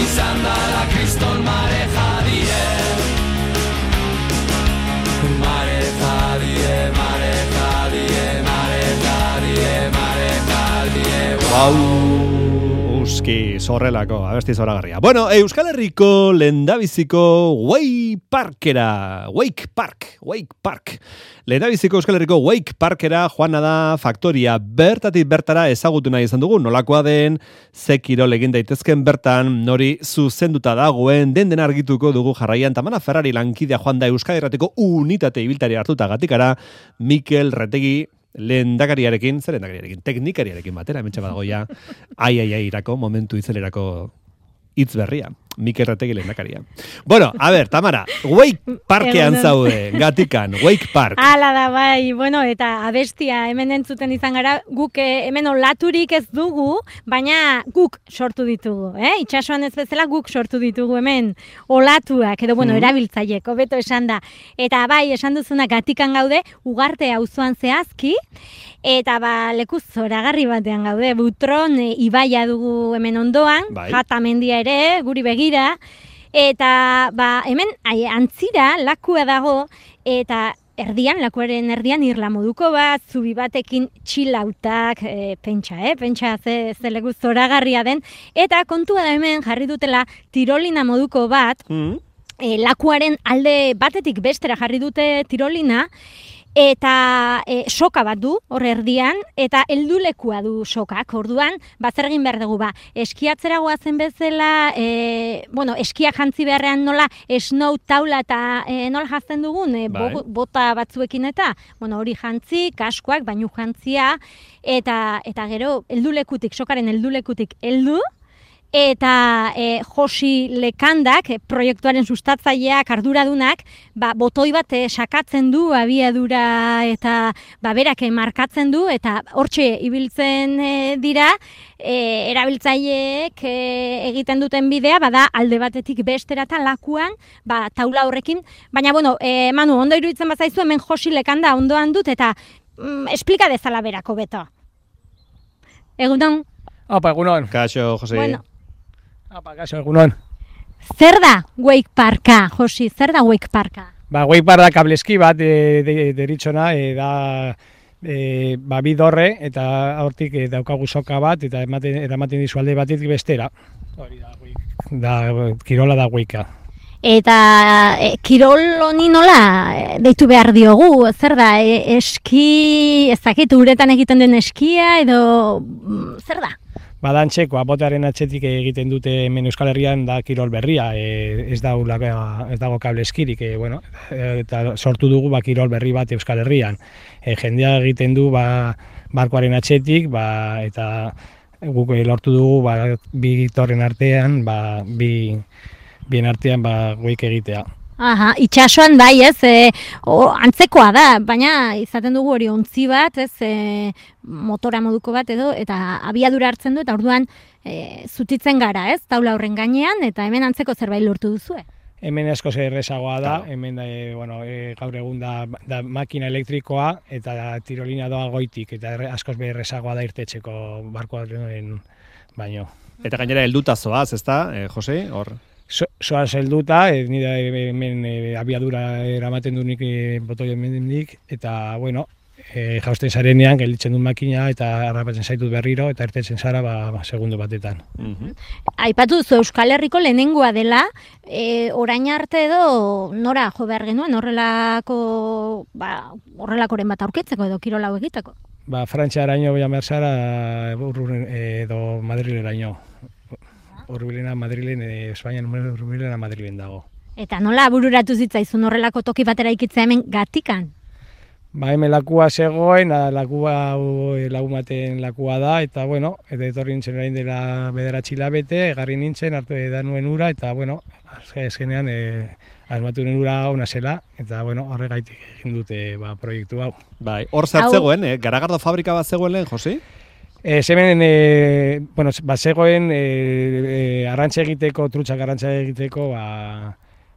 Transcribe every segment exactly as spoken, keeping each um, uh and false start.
izan dara kriston mareja die. Mareja die, mareja die, mareja die, mareja die. Wow, uski, zorrelako, abesti zoragarria. Bueno, Euskal Herriko lehendabiziko Wake Parkera, Wake Park, Wake Park. Lehendabiziko Euskal Herriko Wake Parkera joana da faktoria, bertatik bertara ezagutu nahi izan dugu, nolakoa den, ze kirol egin daitezken bertan, nori zuzenduta dagoen, den den argituko dugu jarraian, tamana Ferrari lankidea joan da Euskal Herrateko unitate ibiltari hartuta gatikara, Mikel Retegi, lehendakariarekin, zer lehendakariarekin, teknikariarekin batera, hementxe badagoia, ai, ai, ai, irako, momentu itzelerako hitz berria. Mikel Retegi lehendakaria. Bueno, a ver, Tamara, Wake Parkean zaude, gatikan, Wake Park. Hala da, bai, bueno, eta abestia hemen entzuten izan gara, guk eh, hemen olaturik ez dugu, baina guk sortu ditugu, eh? Itxasuan ez bezala guk sortu ditugu hemen olatuak, edo, bueno, mm. erabiltzaiek, hobeto esan da. Eta bai, esan duzuna gatikan gaude, Ugarte auzoan zehazki, eta ba, leku zoragarri batean gaude, Butron e, ibaia dugu hemen ondoan, bai. Jata mendia ere, guri begira, eta ba, hemen ai, antzira lakua dago, eta erdian, lakuaren erdian irla moduko bat, zubi batekin txilautak, e, pentsa, eh? pentsa ze, ze leku zoragarria den, eta kontua da hemen jarri dutela tirolina moduko bat, mm. e, lakuaren alde batetik bestera jarri dute tirolina, eta e, soka bat du, hor erdian, eta heldulekua du sokak, orduan, bazer egin behar dugu, ba, eskiatzera goazen bezala, e, bueno, eskiak jantzi beharrean nola, snow taula eta e, nola jazten dugun, e, bo, bota batzuekin eta, bueno, hori jantzi, kaskoak, bainu jantzia, eta, eta gero, heldulekutik, sokaren heldulekutik heldu, eta e, Josi Lekandak, e, proiektuaren sustatzaileak, arduradunak, ba, botoi bat e, sakatzen du, abiadura eta ba, berak e, markatzen du, eta hortxe ibiltzen e, dira, e, erabiltzaileek e, egiten duten bidea, bada alde batetik bestera eta lakuan, ba, taula horrekin, baina, bueno, e, Manu, ondo iruditzen bazaizu, hemen Josi Lekanda ondoan dut, eta mm, esplika dezala berako beto. Egunon? Opa, egunon. Kaixo, Josi. Bueno. Apa, kaso, egunon. Zer da Wake Parka, Josi? Zer da Wake Parka? Ba, Wake Park da kableski bat e, de, deritzona, e, da e, ba, bidorre, eta hortik e, daukagu soka bat, eta ematen, eramaten dizu alde batetik bestera. Hori da, wake, da, kirola da Wakea. Eta e, kirol honi nola deitu behar diogu, zer da, e, eski, ez dakit, uretan egiten den eskia, edo zer da? Badantxeko, botearen atxetik egiten dute hemen Euskal Herrian da kirol berria, e, ez, dago, ez dago kable eskirik, e, bueno, eta sortu dugu ba, kirol berri bat Euskal Herrian. E, jendea egiten du ba, barkoaren atxetik, ba, eta guk lortu dugu ba, bi torren artean, ba, bi, bien artean ba, goik egitea. Aha, itxasuan bai, ez, e, o, antzekoa da, baina izaten dugu hori ontzi bat, ez, e, motora moduko bat edo, eta abiadura hartzen du, eta orduan e, zutitzen gara, ez, taula horren gainean, eta hemen antzeko zerbait lortu duzue. Hemen asko errezagoa da, hemen da, e, bueno, e, gaur egun da, da makina elektrikoa, eta tirolina doa goitik, eta askoz errezagoa da irtetxeko barkoaren baino. Eta gainera helduta zoaz, ezta, eh, Jose, hor? Soaz helduta, e, nire hemen e, abiadura eramaten du nik e, botoi hemendik, eta, bueno, e, jausten zarenean, gelditzen du makina, eta harrapatzen zaitut berriro, eta ertetzen zara, ba, ba segundo batetan. Mm-hmm. Aipatu duzu Euskal Herriko lehenengoa dela, e, orain arte edo nora jo behar genuen, horrelako, ba, horrelakoren bat aurkitzeko edo kirolau egiteko? Ba, Frantziaraino bian behar zara, edo Madrileraino. Urbilena Madrilen, e, Espainian Urbilena Madrilen dago. Eta nola bururatu zitzaizun horrelako toki batera ikitzea hemen gatikan? Ba, hemen lakua zegoen, lakua lagumaten lakua da, eta bueno, eta etorri nintzen orain dela bederatzi hilabete, egarri nintzen, hartu da nuen ura, eta bueno, azkenean e, asmatu nuen ura ona zela, eta bueno, horregaitik egin dute ba, proiektu hau. Bai, hor zer zegoen, eh? Garagardo fabrika bat zegoen lehen, Josi? E, Zemen, e, bueno, bat zegoen e, e, arrantza egiteko, trutxak arrantza egiteko, ba,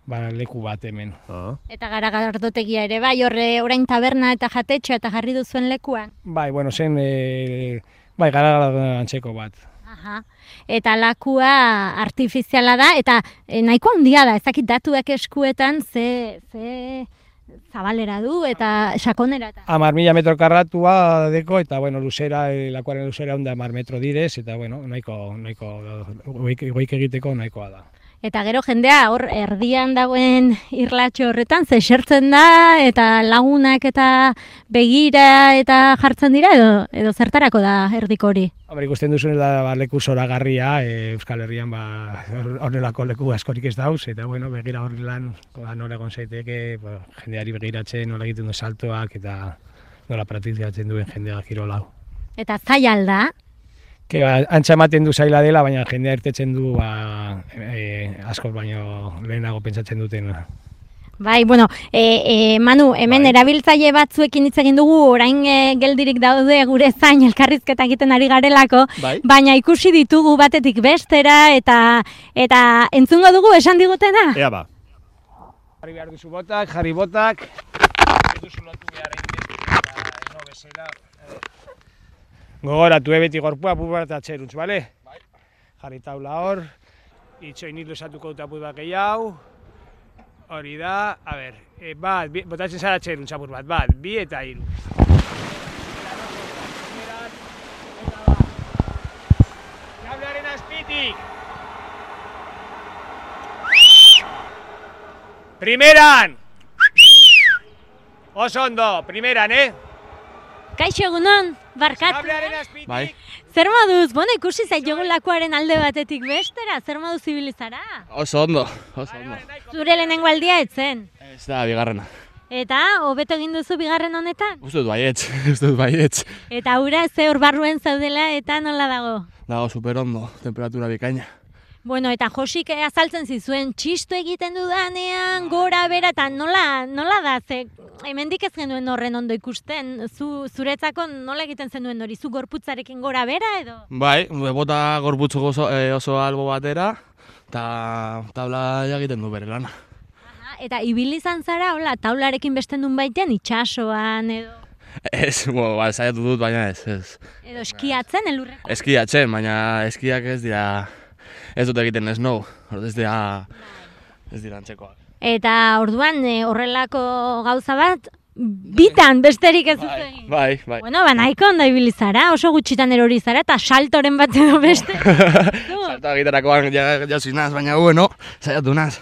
ba, leku bat hemen. Ah. Eta Garagardotegia ere, bai, horre orain taberna eta jatetxea eta jarri duzuen lekuan? Bai, bueno, zen, e, bai, Garagardo antzeko bat. Aha. Eta lakua artifiziala da, eta e, nahiko handia da, ez dakit datuak eskuetan ze, ze zabalera du eta sakonera. Amar mila metro karratua deko, eta bueno, luzera, e, lakuaren luzera onda amar metro direz, eta bueno, nahiko, nahiko, goik, goik egiteko nahikoa da. Eta gero jendea hor erdian dagoen irlatxo horretan ze esertzen da eta lagunak eta begira eta jartzen dira edo edo zertarako da erdiko hori. Hombre, ikusten duzun da ba, leku zoragarria, e, Euskal Herrian ba honelako leku askorik ez dauz, eta bueno, begira hori lan ba, nola egon zaiteke, ba, jendeari begiratzen, nola egiten du saltoak eta nola praktikatzen duen jendea kirol hau. Eta zaila da. Que ba, antza ematen du zaila dela, baina jendea irtetzen du ba, e, asko baino lehenago pentsatzen duten. Bai, bueno, e, e, Manu, hemen bai. Erabiltzaile batzuekin hitz egin dugu, orain e, geldirik daude gure zain elkarrizketa egiten ari garelako, bai. Baina ikusi ditugu batetik bestera eta eta entzungo dugu esan digutena? Ea ba. Jarri behar duzu botak, jarri botak, ez duzu lotu behar egin eta no bezala. Gogoratu, beti gorpua bubat atxeruntz, bale? Bai. Jarri taula hor, itxoin hil esatuko dut apur bat gehiago. Hori da, a ber, e, bat, bi, botatzen zara atxeruntz apur bat, bat, bi eta hiru. Kablearen azpitik! Primeran! Oso ondo, primeran, eh? Kaixo egunon, barkatu. Bai. Zer moduz, bueno, ikusi zaitugu lakuaren alde batetik bestera, zer moduz zibilizara? Oso ondo, oso ondo. Zure lehenengo aldia etzen? Ez da, bigarrena. Eta, hobeto egin duzu bigarren honetan? Uste dut baietz, uste dut baietz. Eta ura ze hor barruen zaudela eta nola dago? Dago super ondo, temperatura bikaina. Bueno, eta Josik azaltzen zizuen txistu egiten dudanean, gora bera, eta nola, nola da, ze hemendik ez genuen horren ondo ikusten, zu, zuretzako nola egiten zenuen hori, zu gorputzarekin gora bera edo? Bai, bota gorputzuko oso, e, oso albo batera, eta tabla egiten du bere lana. Aha, eta ibili izan zara, hola, taularekin besten duen baitean, itxasoan edo? Ez, bo, ba, saiatu dut, baina ez, ez. Edo eskiatzen, elurreko? Eskiatzen, baina eskiak ez dira, ez dut egiten snow, ez dira, ez dira antzekoak. Eta orduan horrelako gauza bat, bitan besterik ez dut egin. Bai, bai. Bueno, ba, nahiko ondo ibili zara, oso gutxitan erori zara, eta saltoren bat edo beste. Salto egiterakoan jauzi naz, baina bueno, saiatu naz.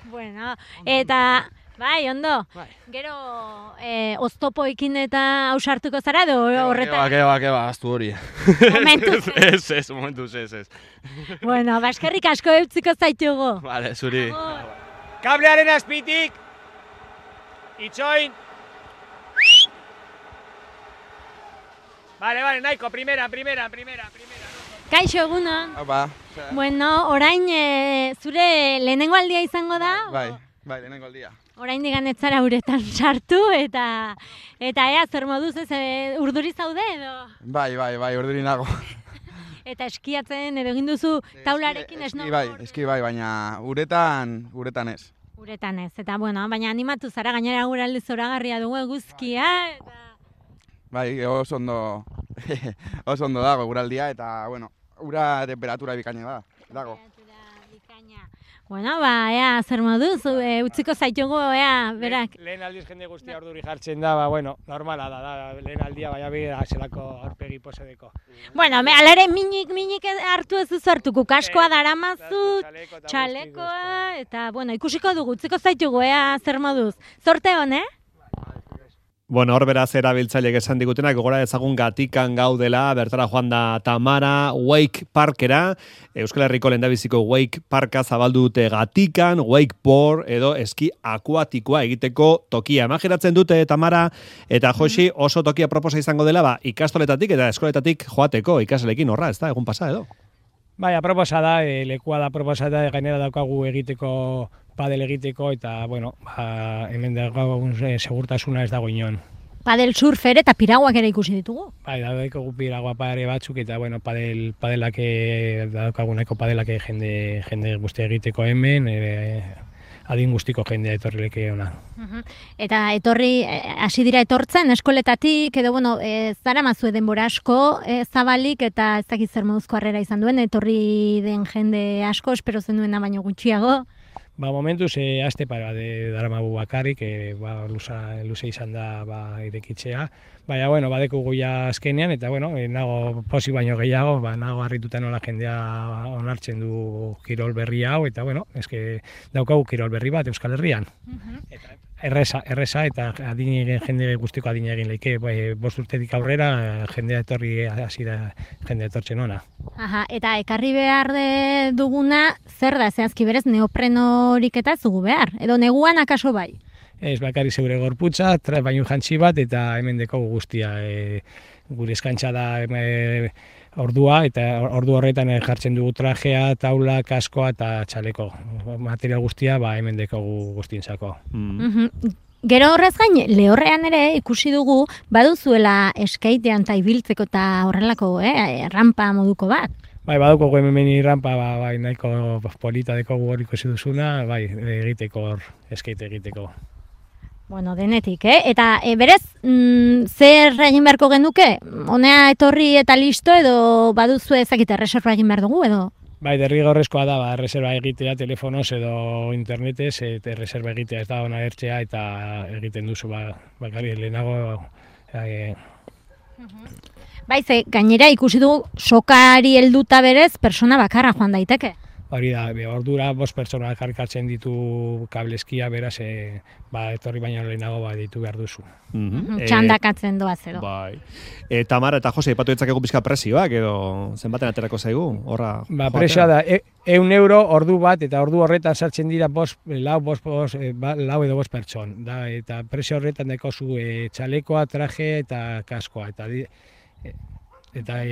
Bueno, eta, bai, ondo, bai. Gero eh, oztopoekin eta ausartuko zara, edo horretan? Keba, keba, keba, aztu hori. Momentuz ez? Ez, ez, momentuz ez, ez. Bueno, baskerrik asko eutziko zaitugu. Vale, zuri. Kablearen azpitik, itxoin. Vale, vale, nahiko, primera, primera, primera, primera. Kaixo egunon. Opa. Bueno, orain e, zure lehenengo aldia izango da? Bai, bai, lehenengo aldia. Orain digan ez zara uretan sartu eta eta ea zer moduz ez e, urduri zaude edo? Bai, bai, bai, urduri nago. Eta eskiatzen edo egin duzu taularekin ez no? Eski bai, eski bai, baina uretan, uretan ez. Uretan ez, eta bueno, baina animatu zara gainera guraldi zoragarria dugu eguzkia eta... Bai, oso ondo, oso ondo dago guraldia eta, bueno, ura temperatura bikaina da, dago. Bueno, ba, ea, zer moduz, e, utziko zaitugu, ea, berak. Lehen aldiz jende guztia orduri jartzen da, ba, bueno, normala da, da lehen aldia, baina bera zelako aurpegi posedeko. Bueno, alare minik, minik hartu ez duzu hartuko, kaskoa daramazu, txalekoa, eta, bueno, ikusiko dugu, utziko zaitugu, ea, zer moduz. Zorte hon, eh? Bueno, hor beraz erabiltzaileek esan digutenak, gogora ezagun Gatikan gaudela, bertara joan da Tamara Wake Parkera, Euskal Herriko lehendabiziko Wake Parka zabaldu dute Gatikan, wakeboard edo eski akuatikoa egiteko tokia. Imaginatzen dute Tamara eta Josi oso tokia proposa izango dela, ba, ikastoletatik eta eskoletatik joateko ikasleekin horra, ez da, egun pasa edo? Bai, aproposa da, e, lekua da aproposa da, gainera daukagu egiteko padel egiteko, eta, bueno, ba, hemen daukagun e, segurtasuna ez dago inon. Padel surfer eta piraguak ere ikusi ditugu. Bai, daukagu piragua pare batzuk, eta, bueno, padel, padelak, daukaguneko padelak jende, jende guzti egiteko hemen, e, adin guztiko jendea etorri leke ona. Eta etorri, hasi dira etortzen eskoletatik, edo bueno, e, zara mazue denbora asko e, zabalik, eta ez dakit zer moduzko harrera izan duen, etorri den jende asko, espero zenuena baino gutxiago. Ba, momentuz, e, aste para de daramagu bakarrik, e, ba, luza, luze izan da ba, irekitzea. Baina, bueno, badeko goia azkenean, eta, bueno, e, nago posi baino gehiago, ba, nago harrituta nola jendea onartzen du kirol berri hau, eta, bueno, eske daukagu kirol berri bat Euskal Herrian. Eta, erresa, erresa, eta adine, jende guztiko adine egin leike, bai, bost urtetik aurrera, jendea etorri hasi da, jendea etortzen ona. Aha, eta ekarri behar de duguna, zer da, zehazki berez, neoprenorik eta ez dugu behar, edo neguan akaso bai? Ez bakarri zeure gorputza, tra, baino jantzi bat, eta hemen dekogu guztia. E, gure eskantza da e, ordua, eta ordu horretan jartzen dugu trajea, taula, kaskoa eta txaleko. Material guztia, ba, hemen dekogu guztientzako. Mm. Mhm. Gero horrez gain, lehorrean ere ikusi dugu baduzuela eskaitean eta ibiltzeko eta horrelako, eh, rampa moduko bat. Bai, baduko hemen rampa, ba, bai, nahiko polita dekogu hor ikusi duzuna, bai, egiteko hor, eskaite egiteko. Bueno, denetik, eh? Eta e, berez, mm, zer egin beharko genuke? Honea etorri eta listo, edo baduzu ezakite erreserba egin behar dugu, edo? Bai, derrigorrezkoa da, ba, reserva egitea telefonoz edo internetez, eta reserva egitea ez da ona ertzea, eta egiten duzu, ba, bakari lehenago... E... Bai, ze, gainera ikusi dugu sokari helduta berez, persona bakarra joan daiteke. Hori da, be, ordura bost pertsona jarkatzen ditu kableskia, beraz, e, ba, etorri baino lehenago ba, ditu behar duzu. Mm-hmm. Txandakatzen doaz edo. Bai. E, Tamara eta Jose, ipatu ditzakegu pizka presioak, edo zenbaten aterako zaigu, horra? Ba, presioa da, e, eun euro ordu bat, eta ordu horretan sartzen dira bost, lau, bost, bost, e, ba, lau edo bost pertson. Da, eta presio horretan dekozu e, txalekoa, traje eta kaskoa, eta di, e, eta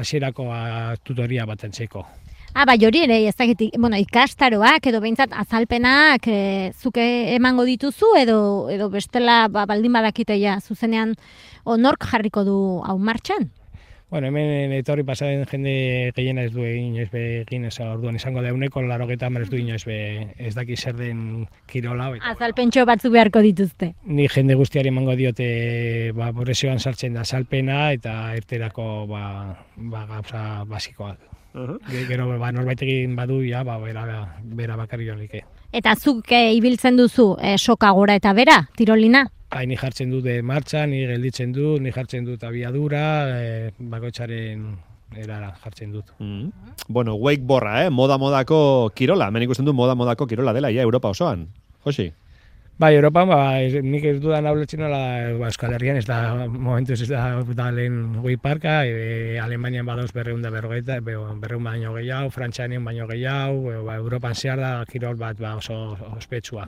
hasierako e, tutoria bat entzeko. Ah, bai, hori ere, ez dakit, bueno, ikastaroak edo behintzat azalpenak e, zuke emango dituzu edo edo bestela ba, baldin badakiteia zuzenean onork jarriko du hau martxan? Bueno, hemen etorri pasaren jende gehiena ez du egin ez be egin ez orduan izango da euneko laurogeita hamar ez du inoiz be ez daki zer den kirola. Azalpentxo batzuk beharko dituzte. Ni jende guztiari emango diote ba presioan sartzen da azalpena eta erterako ba ba gauza basikoak. Uh-huh. Gero ba norbait egin badu ja ba bera bera bakarri jolike. Eta zuk e, ibiltzen duzu e, soka gora eta bera, tirolina? Bai, ni jartzen dut martxa, ni gelditzen dut, ni jartzen dut abiadura, e, bakoitzaren erara jartzen dut. Mm. Bueno, wakeboarda, eh? Moda-modako kirola, hemen ikusten du moda-modako kirola dela, ja, Europa osoan. Josi? Bai, Europan, ba, nik ez dudan hauletzen nola, ba, Euskal Herrian, ez da, momentuz ez da, da lehen wake parka, e, Alemanian badauz berreun da berrogeita, berreun baino gehiago, Frantzianen baino gehiago, e, ba, Europan zehar da kirol bat ba, oso ospetsua.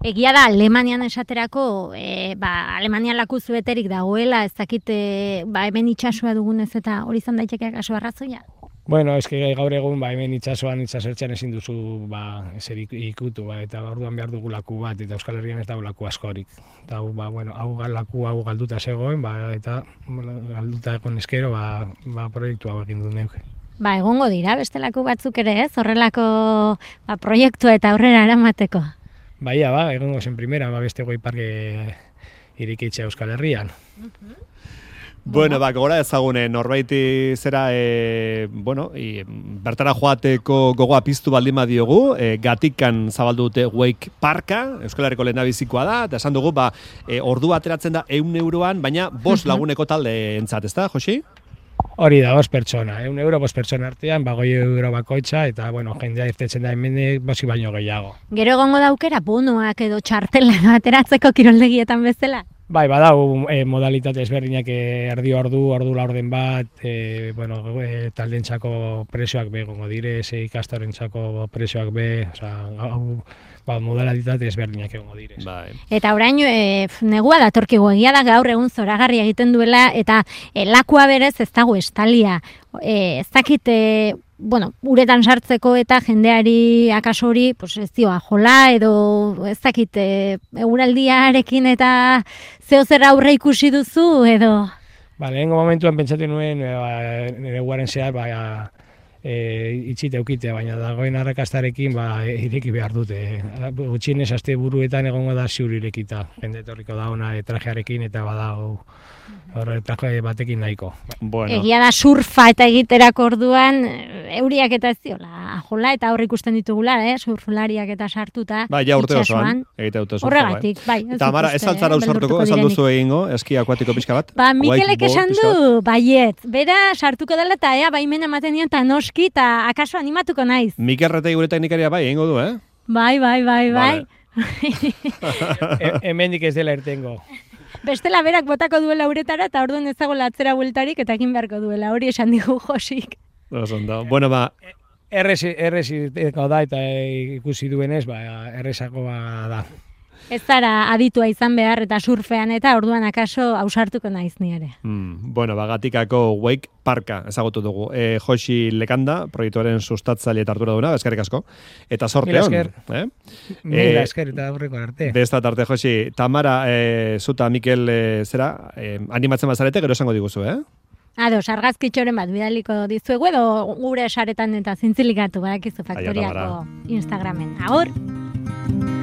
Egia da, Alemanian esaterako, e, ba, Alemanian laku zueterik dagoela, ez dakite, ba, hemen itxasua dugunez eta hori izan daiteke kaso arrazoia? Bueno, eske gaur egun ba hemen itsasoan itsasertzean ezin duzu ba eser ikutu ba eta orduan behar dugu laku bat eta Euskal Herrian ez dago laku askorik. Eta ba bueno, hau laku hau galduta zegoen ba eta galduta egon eskero ba ba proiektu hau egin du neuk. Ba egongo dira bestelako batzuk ere, ez? Horrelako ba proiektua eta aurrera eramateko. Baia ba, egongo zen primera ba beste goi parke irekitzea Euskal Herrian. Uh-huh. Bueno, ba, gora ezagune, norbaiti zera, e, bueno, e, bertara joateko gogoa piztu baldin badiogu, e, Gatikan zabaldu dute Wake Parka, Euskal Herriko lehendabizikoa da, eta esan dugu, ba, e, ordua ateratzen da eun euroan, baina bost laguneko talde entzat, ez da, Josi? Hori da, bost pertsona, eun euro bost pertsona artean, ba, goi euro bakoitza, eta, bueno, jendea irtetzen da hemen bosi baino gehiago. Gero egongo daukera, bonoak edo txartela ateratzeko kiroldegietan bezala? Bai, badau e, modalitate ezberdinak e, erdi ordu, ordu laurden bat, e, bueno, e, taldentzako presioak be, gongo dire, ze ikastorentzako presioak be, oza, hau, ba, modalitate ezberdinak egongo dire. Bai. Eta orain, e, negua datorkigu, egia da gaur egun zoragarri egiten duela, eta e, lakua berez ez dago estalia. E, ez dakit, e, bueno, uretan sartzeko eta jendeari akaso hori, pues ez dioa jola edo ez dakit e, eguraldiarekin eta zeo zer aurre ikusi duzu edo? Ba, lehenko momentuan pentsatzen nuen, e, ba, nire guaren zehar, ba, e, itxite eukitea, baina dagoen arrakastarekin ba, ireki behar dute. Gutxienez aste buruetan egongo da ziur irekita. Jende etorriko da ona e, trajearekin eta badago horre traje batekin nahiko. Bueno. Egia da surfa eta egiterako orduan euriak eta ez diola jola eta hor ikusten ditugula, eh, surflariak eta sartuta. Bai, ja urte itsasoan. osoan, egite dute surfa. Horregatik, bai. ez Tamara, dut ez uste, altzara eh, ausartuko, ez beldurtuko alduzu egingo, eski akuatiko pixka bat? Ba, Mikelek Wakeboard esan pixka bat? du, baiet, bera sartuko dela eta ea baimen ematen dion eta noski eta akaso animatuko naiz. Mikel Retei gure teknikaria bai, egingo du, eh? Bai, bai, bai, bai. E, hemendik ez dela irtengo. Bestela berak botako duela uretara eta orduan ez dagoela atzera bueltarik eta egin beharko duela, hori esan digu Josik. Osondo. Bueno, ba, Errez, errez irtengo da eta e, ikusi duenez, ba, errezakoa da. Ez zara aditua izan behar eta surfean eta orduan akaso ausartuko naiz ni ere. mm, bueno, ba, Gatikako Wake Parka ezagutu dugu. E, Josi Lekanda, proiektuaren sustatzaile eta hartura duna, eskerrik asko. Eta sorte Mila hon. esker. Eh? Mila Eh, esker eta aurreko arte. Besta tarte, Josi. Tamara, e, zuta Mikel, e, zera, e, animatzen bazarete, gero esango diguzu, eh? Ados, argazkitxoren bat bidaliko dizuegu edo gure saretan eta zintzilikatu badakizu Tamara. faktoriako Instagramen. Agur!